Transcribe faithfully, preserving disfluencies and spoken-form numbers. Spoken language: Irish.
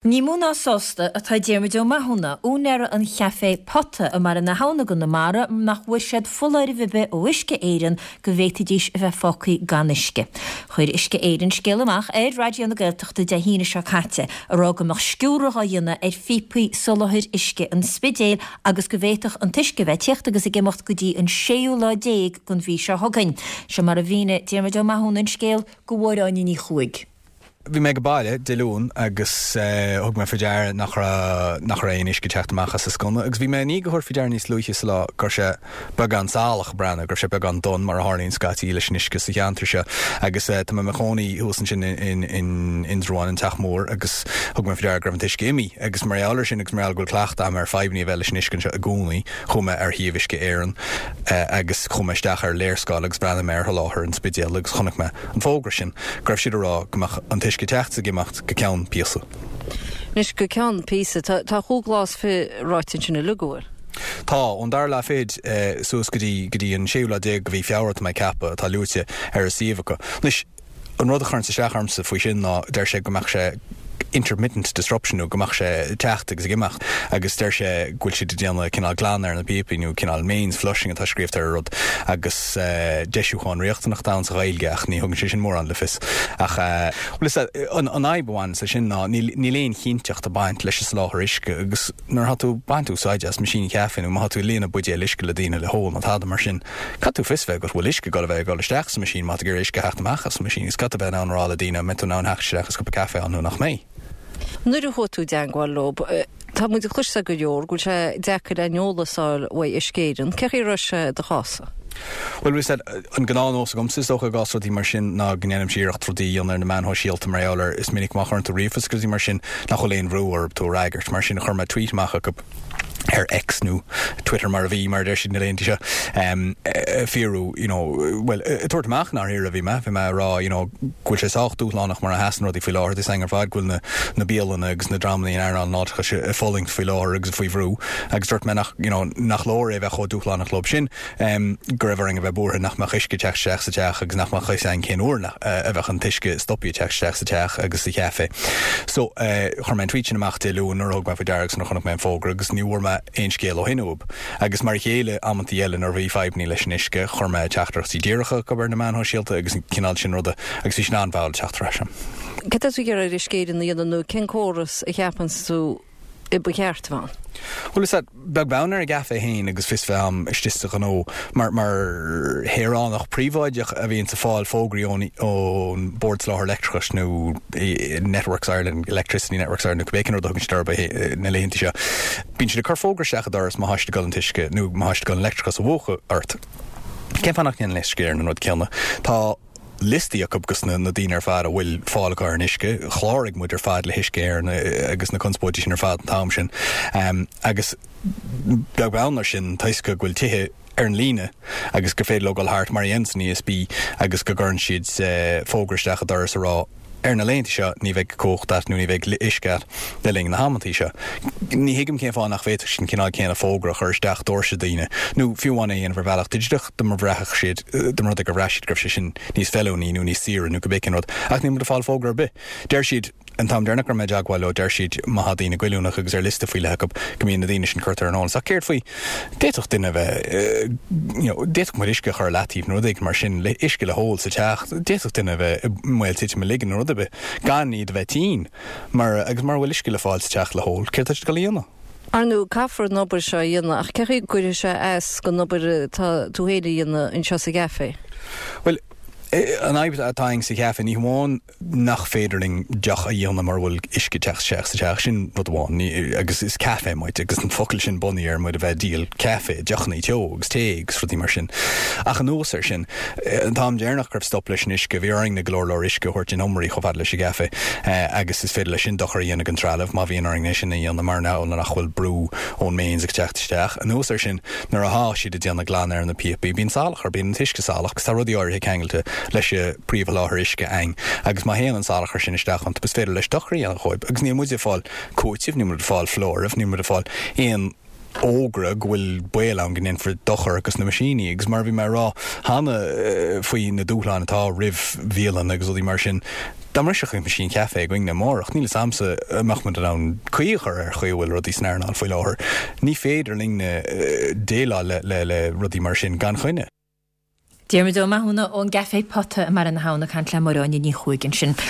Ní mó ná sásta atá Diarmuid Ó Mathúna, úinéara an chaifé Pota i mBaile na hAbhna i gConamara nach bhfuair siad foláireamh ar bith ó Uisce Éireann go bhféadfaidís a bheith fágtha gan uisce. Chuir Uisce Éireann scéal amach ar Raidió na Gaeltachta Dé hAoine seo caite a rá go mbeadh sciúradh á dhéanamh ar phíopaí soláthair uisce an Spidéil agus go bhféadfadh an t-uisce bheith ag teacht agus ag imeacht go dtí an séú lá déag den mhí seo chugainn. Seo mar a mhínigh Diarmuid Ó Mathúna an scéal do Mháire Áine Ní Chuaig. Bhí mé ag baile Dé Luain agus uh, thug mé faoi deara nach raibh nach raibh aon uisce ag teacht amach as an sconna, agus bhí mé ní go faoi deara níos luaithe sa lá go raibh sé beagán salach breathnú, go raibh sé beagán donn mar a tharlaíonn scaití leis an uisce sa cheantar seo agus uh, tá mé i mo chónaí thuas ansin in in Indreabhán an teach mór agus thug mé faoi deara go raibh an t-uisce imithe agus mar gheall air sin agus mar go bhfuil cleachtadh agam ar fadhbanna a bheith leis an uisce seo i gcónaí chuaigh mé ar shuíomh Uisce Éireann uh, agus chuaigh mé isteach ar léarscáil agus bhreathnaigh mé ar sholáthar an Spidéil agus chonaic mé an fógra sin go raibh siad ag rá go mbeadh an t-uisce ag teacht ag imeacht go ceann píosa. Anois go ceann píosa tá chúig lá is fiche ráite sin uilig go bhfuil. Tá ón dara lá fichead eh, suas go dtí go dtí an séú lá déag de mhí Feabhra tá mé ag ceapadh atá luaite ar a suíomh acu. Anois an rud a chuireann isteach ormsa faoi sin ná deir sé go mbeadh sé intermittent disruption nó go mbeadh sé teacht agus ag imeacht agus deir sé go bhfuil siad ag déanamh cineál glan ar na píopaí nó cineál mains flushing atá scríofa ar rud agus uh, deisiúchán riachtanach ann sa Ghaeilge ach ní thugann sé sin mórán le fios ach uh, an an fhadhb amháin sa sin ná níl aon chinnteacht ag baint leis an soláthar uisce agus nuair atá tú ag baint úsáid as meaisín caife nó má tú líonadh buidéal uisce le daoine le hól nó tada mar sin Caithfidh tú fios bheith go bhfuil uisce go bheith ag dul isteach sa machine má gur uisce theacht amach as machine is cat bheith an rá le daoine me tú ná theacht isteach is cupa caife ann nó nach mbeidh. Nuair a chuaigh tú i dteagmháil leo Tá muid ag cloisteáil go leor go bhfuil sé deacair an eolas a fháil ó Uisce Éireann, Cé chaoi a raibh sé do chás-sa? Well we said an gnáthnós agamsa is dócha i gcás rudaí mar sin ná go ndéanaim iarracht rudaí a dhéanamh ar na meáin shóisialta mar gheall ar is minic má chuireann tú ríomhphost rudaí mar sin nach bhfuil aon bhrú orthu tú a fhreagairt mar sin chuir mé tweet amach acu ar X nó Twitter mar a bhí mar deir siad na laethanta seo um, fiú you know, well tabhairt amach nach a bhí mé bhí mé rá you know, go bhfuil sé sách dúshlánach mar a sheasann rudaí faoi láthair is ar fad go bhfuil na, na bialanna agus na dreamanna in earnáil an fháilteachais ag fulaingt faoi láthair agus faoi bhrú agus dúirt mé nach you know, nach leor é bheith chomh dúshlánach leo sin um, go raibh orainn a bheith buartha nach mbeadh uisce teacht isteach sa teach agus nach mbeadh a fhios againn cén uair a bheadh an t-uisce stoptha teacht isteach sa teach agus sa chaife. So uh, chuir mé an tweet sin amach Dé Luain nuair a thug mé faoi deara agus nuair a chonaic mé an fógra agus ní bhfuair mé aon scéal ó shin uathu. Agus mar a chéile amantaí eile nuair a bhí fadhbanna leis an uisce chuir mé teachtaireachtaí díreacha chucu ar na meáin shóisialta agus cineál sin ruda agus bhí sin an-mhall teacht ar ais. Cad tá tú ag iarraidh ar Uisce Éireann a dhéanamh nó cén córas a cheapann tú ba cheart a bheith ann? Well is beag beann ar an gcaife féin agus fios bheith agam istigh sa ghnó mar mar shaoránach príobháideach a bhíonn ag fáil fógraí ón ón Bord Soláthair Leictreachais nó Networks Ireland Electricity Networks Ireland nó cibé rud a thugann siad orthu na laethanta seo. Bíonn siad ag cur fógra isteach i do dhoras má tá siad ag dul an t-uisce nó má tá siad ag dul an leictreachas a mhúchadh ort. Cén fáth nach ndéanann Uisce Éireann an rud céanna? Tá liostaí acu agus na, na daoine ar fad a bhfuil fáil acu ar an uisce, chláraigh muid ar fad le hUisce Éireann agus na conspóidí sin ar fad an t-am sin. Um, agus beag beann air sin toisc go bhfuil tithe ar an líne agus gur féidir leo dul thart mar a dhéanann an E S B agus go gcuireann siad uh, fógra isteach i do dhoras a rá ar na laethanta seo ní bheidh cumhacht agat nó ní bheidh uisce le linn na hamanta seo. Ní thuigim cén fáth nach bhféadfadh sin cineál céanna fógra a chur isteach doirse daoine, nó fiú amháin é ar bhealach digiteach dá mba bhraithfeadh siad dá mba rud é gur bhraith siad go raibh sé sin níos feiliúnaí nó níos saoire nó cibé cén rud, ach níl muid ag fáil fógra ar bith. Deir siad an t-am deireanach go raibh mé i dteagmháil leo deir siad má tá daoine goilliúnach agus ar liosta faoi leith acu go mbíonn na daoine sin curtha ar an eolas. Ach céard faoi d'fhéadfadh duine bheith d'fhéadfadh muid uisce a chur leataobh nó rud éigin mar sin le uisce le hól sa teach, d'fhéadfadh duine bheith i mbaol titim i ligin nó rud ar bith gan iad a bheith tinn mar agus mura bhfuil uisce le fáil sa teach le hól, céard tá siad ag dul a dhéanamh? Ar ndóigh caithfear an obair seo a dhéanamh ach cé chaoi gcuirfidh sé as don obair atá tú féin a dhéanamh anseo sa gcaife. Well, an fhadhb atá againn sa chaife ní hamháin nach féidir linn deoch a dhéanamh mura bhfuil uisce teacht isteach sa teach sin rud amháin agus is caife muid agus an focal sin bunaithe ar muid a bheith ag díol caife deochanna teo agus tae agus rudaí mar sin. Ach anuas air sin an t-am deireanach go raibh stop leis an uisce bhí orainn na go leor leor uisce a thabhairt in iomairí chomh fada leis an gcaife agus is féidir leis sin dochar a dhéanamh don trealamh má bhíonn orainn é sin a dhéanamh mar ná nach bhfuil brú ón mains ag teacht isteach. Anuas air sin nuair atá siad ag déanamh glan ar na píopaí bíonn salachar bíonn an t-uisce salach agus tá rudaí áirithe ceangailte leis an bpríomhsholáthar uisce againn agus má théann an salachar sin isteach iontu is féidir leis dochar a dhéanamh dóibh agus níl muid ag fáil cúitimh níl muid ag fáil foláireamh níl muid ag fáil aon fhógra go bhfuil baol ann go ndéanfar dochar dos na meaisíní agus mar bhí mé ag rá cheana eh, faoi na dúshláin atá roimh bhialanna agus rudaí mar sin. Dá mbrisfeadh an meaisín caife againne amárach, níl a fhios a'msa an mbeadh muid in ann caoi a chur ar chaoi a bhfuil rudaí san earnáil faoi láthair. Ní féidir linn eh, déileáil le, le, le rudaí mar sin gan choinne. Diarmuid Ó Mathúna ón gCaifé Pota i mBaile na hAbhann ag caint le Máire Áine Ní Chuaig ansin.